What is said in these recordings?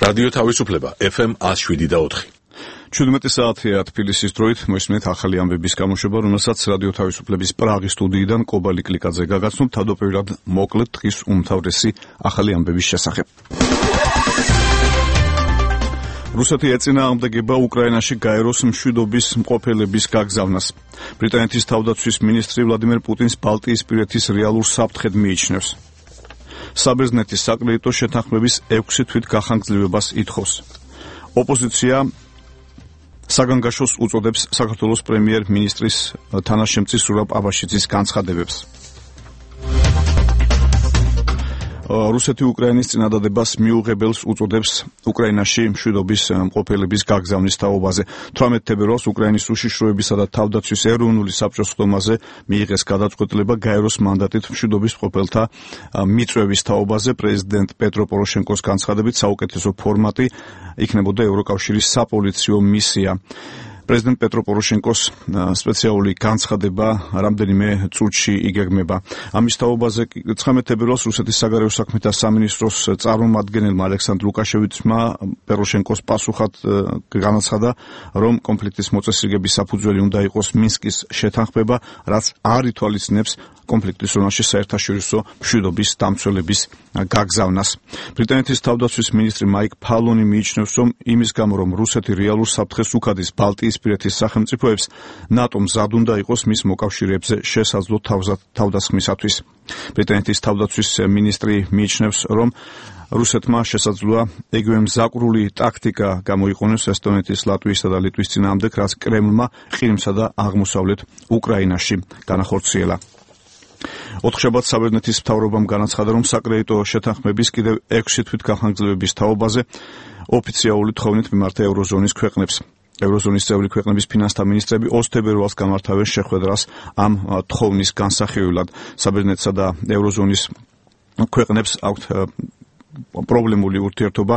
რადიო თავისუფლება FM 107.4. 17 საათია თბილისის დროით მოისმენთ ახალი ამბების გამოშვება, რომელსაც რადიო თავისუფლების პრაღის სტუდიიდან კობალი კლიკაძე გაგაცნობ. თავდაპირველად მოკლედ დღის უმთავრესი ახალი ამბების შესახებ. რუსეთი ეწინააღმდეგება უკრაინაში გაეროს მშვიდობის მყოფელების გაგზავნას. ბრიტანეთის თავდაცვის მინისტრი ვლადიმერ პუტინს ბალტიისპირეთის რეალურ საფრთხედ მიიჩნევს. საბერძნეთის საკრედიტო შეთანხმების 6 თვით გახანგრძლივებას ითხოვს. ოპოზიცია საგანგაშოს უწოდებს საქართველოს პრემიერ-მინისტრის თანაშემწის ზურაბ აბაშიძის განცხადებებს. რუსეთი უკრაინის წინადადებას მიუღებელს უწოდებს უკრაინაში მშვიდობის მყოფელების გაგზავნის თაობაზე. 18 თებერვალს უკრაინის უშიშროებისა და თავდაცვის ეროვნული საბჭოს ხდომაზე მიიღეს გადაწყვეტილება გაეროს მანდატით მშვიდობის მყოფელთა მიწვევის თაობაზე. პრეზიდენტ პეტრო პოროშენკოს განცხადებით საუკეთესო ფორმატი იქნებოდა ევროკავშირის საპოლიციო მისია. პრეზიდენტ პეტრო პოროშენკოს სპეციალური განცხადება რამდენიმე წუთში იგეგმება. ამის თაობაზე 19 თებერვალს რუსეთის საგარეო საქმეთა სამინისტროს წარმომადგენელმა ალექსანდრ ლუკაშევიჩმა პოროშენკოს პასუხად განაცხადა, რომ კონფლიქტის მოწესრიგების საფუძველი უნდა იყოს მინსკის შეთანხმება, რაც არ ითვალისწინებს კონფლიქტის ზონაში საერთაშორისო მშვიდობის დამცველების გაგზავნას. ბრიტანეთის თავდაცვის მინისტრი მაიკ ფალონი მიიჩნევს, რომ იმის გამო, რომ რუსეთი რეალურ საფრთხეს უხადის ბალტიისპირეთის სახელმწიფოებს, ნატომ მზად უნდა იყოს მის მოკავშირეებზე შესაძლო თავდასხმისათვის. ბრიტანეთის თავდაცვის მინისტრი მიიჩნევს, რომ რუსეთმა შესაძლოა იგივე მზაკვრული ტაქტიკა გამოიყენოს ესტონეთის, ლატვიისა და ლიტვის წინააღმდეგ, რაც კრემლმა ყირიმსა და აღმოსავლეთ უკრაინაში განახორციელა. ოთხშაბათს საბერძნეთის მთავრობამ განაცხადა, რომ საკრედიტო შეთანხმების კიდევ 6 თვით გახანგრძლივების თაობაზე ოფიციალური თხოვნით მიმართა ევროზონის ქვეყნებს. ევროზონის წევრი ქვეყნების ფინანსთა მინისტრები 20 თებერვალს გამართავენ შეხვედრას ამ თხოვნის განსახილველად. საბერძნეთსა და ევროზონის ქვეყნებს აქვთ პრობლემული ურთიერთობა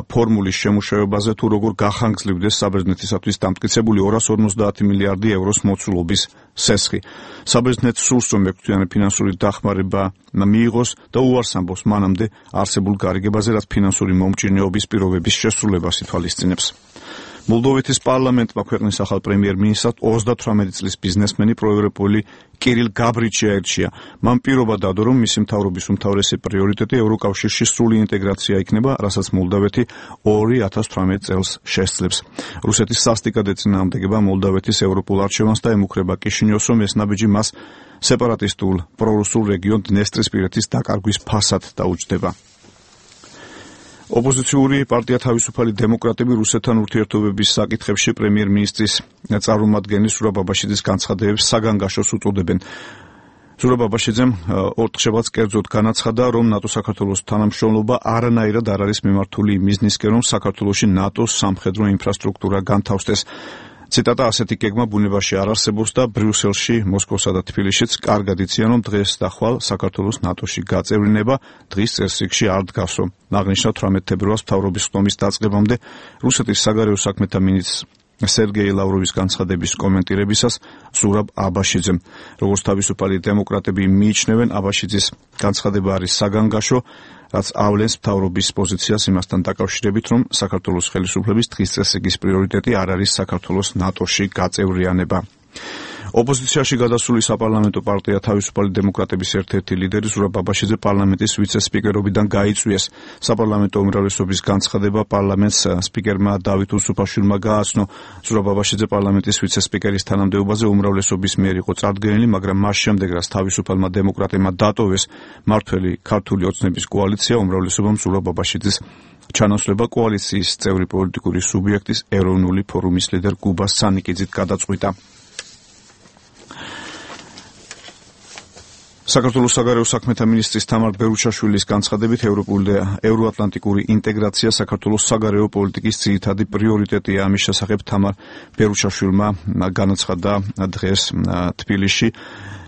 ფორმულის შემუშავებაზე, თუ როგორ გახანგრძლივდეს საბერძნეთისათვის დამტკიცებული 250 მილიარდი ევროს მოცულობის სესხი. საბერძნეთს სურს, რომ ექვთვიანი ფინანსური დახმარება მიიღოს და უარს ამბობს მანამდე არსებულ გარიგებაზე, რაც ფინანსური მომჭირნეობის პირობების შესრულებას ითვალისწინებს. მოლდოვეთის პარლამენტმა ქვეყნის ახალ პრემიერ-მინისტრად 38 წლის ბიზნესმენი პროევროპული კირილ გაბრიჩი აირჩია. მან პირობა დადო, რომ მისი მთავრობის უმთავრესი პრიორიტეტი ევროკავშირში სრული ინტეგრაცია იქნება, რასაც მოლდოვეთი 2018 წელს შესძლებს. რუსეთის სასტიკად ეწინააღმდეგება მოლდოვეთის ევროპულ არჩევანს და ემუქრება კიშინიოვს, რომ ეს ნაბიჯი მას სეპარატისტულ პრორუსულ რეგიონ დნესტრისპირეთის დაკარგვის ფასად დაუჯდება. ოპოზიციური პარტია თავისუფალი დემოკრატები რუსეთთან ურთიერთობების საკითხებში პრემიერ-მინისტრის წარმომადგენლის ზურაბ აბაშიძის განცხადებებს საგანგაშოს უწოდებენ. ზურაბ აბაშიძემ ოთხშაბათს კერძოდ განაცხადა, რომ ნატო-საქართველოს თანამშრომლობა არანაირად არ არის მიმართული მიზნისკენ, რომ საქართველოში ნატოს სამხედრო ინფრასტრუქტურა განთავსდეს. ციტატა: ასეთი გეგმა ბუნებაში არ არსებობს და ბრიუსელში, მოსკოვსა და თბილისშიც კარგად იციან, რომ დღეს და ხვალ საქართველოს ნატოში გაწევლინება დღის წესრიგში არ დგას, რომ აღნიშნა 18 თებერვალს მთავრობის ხდომის დაწყებამდე რუსეთის საგარეო საქმეთა მინისტრ სერგეი ლავროვის განცხადების კომენტირებისას ზურაბ აბაშიძემ. როგორც თავისუფალი დემოკრატები მიიჩნევენ, აბაშიძის განცხადება არის საგანგაშო, რაც ავლენს მთავრობის პოზიციას იმასთან დაკავშირებით, რომ საქართველოს ხელისუფლების დღის წესრიგის პრიორიტეტი არ არის საქართველოს ნატოში გაწევრიანება. ოპოზიციაში გადასული საპარლამენტო პარტია თავისუფალი დემოკრატების ერთ-ერთი ლიდერი ზურაბ აბაშიძე პარლამენტის ვიცე-სპიკერობიდან გაიწვიეს. საპარლამენტო უმრავლესობის განცხადება პარლამენტს სპიკერმა დავით უსუფაშვილმა გააცნო. ზურაბ აბაშიძე პარლამენტის ვიცე-სპიკერის თანამდებობაზე უმრავლესობის მიერ იყო წარდგენილი, მაგრამ მას შემდეგ, რაც თავისუფალმა დემოკრატებმა დატოვეს მართველი ქართული ოცნების კოალიცია, უმრავლესობამ ზურაბ აბაშიძის ჩანაცვლება კოალიციის წევრი პოლიტიკური სუბიექტის ეროვნული ფორუმის ლიდერ გუბას სანიკიძით გადაწყვიტა. საქართველოს საგარეო საქმეთა მინისტრის თამარ ბერუჩაშვილის განცხადებით ევროატლანტიკური ინტეგრაცია საქართველოს საგარეო პოლიტიკის ძირითადი პრიორიტეტია. ამის შესახებ თამარ ბერუჩაშვილმა განაცხადა დღეს თბილისში.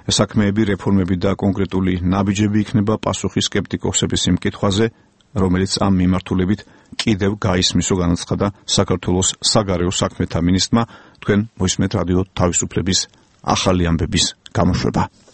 საქმეები, რეფორმები და კონკრეტული ნაბიჯები იქნება პასუხი სკეპტიკოსების იმ კითხვაზე, რომელიც ამ მიმართულებით კიდევ გაისმისო, განაცხადა საქართველოს საგარეო საქმეთა მინისტრმა. თქვენ მოისმენთ რადიო თავისუფლების ახალი ამბების გამოშვება.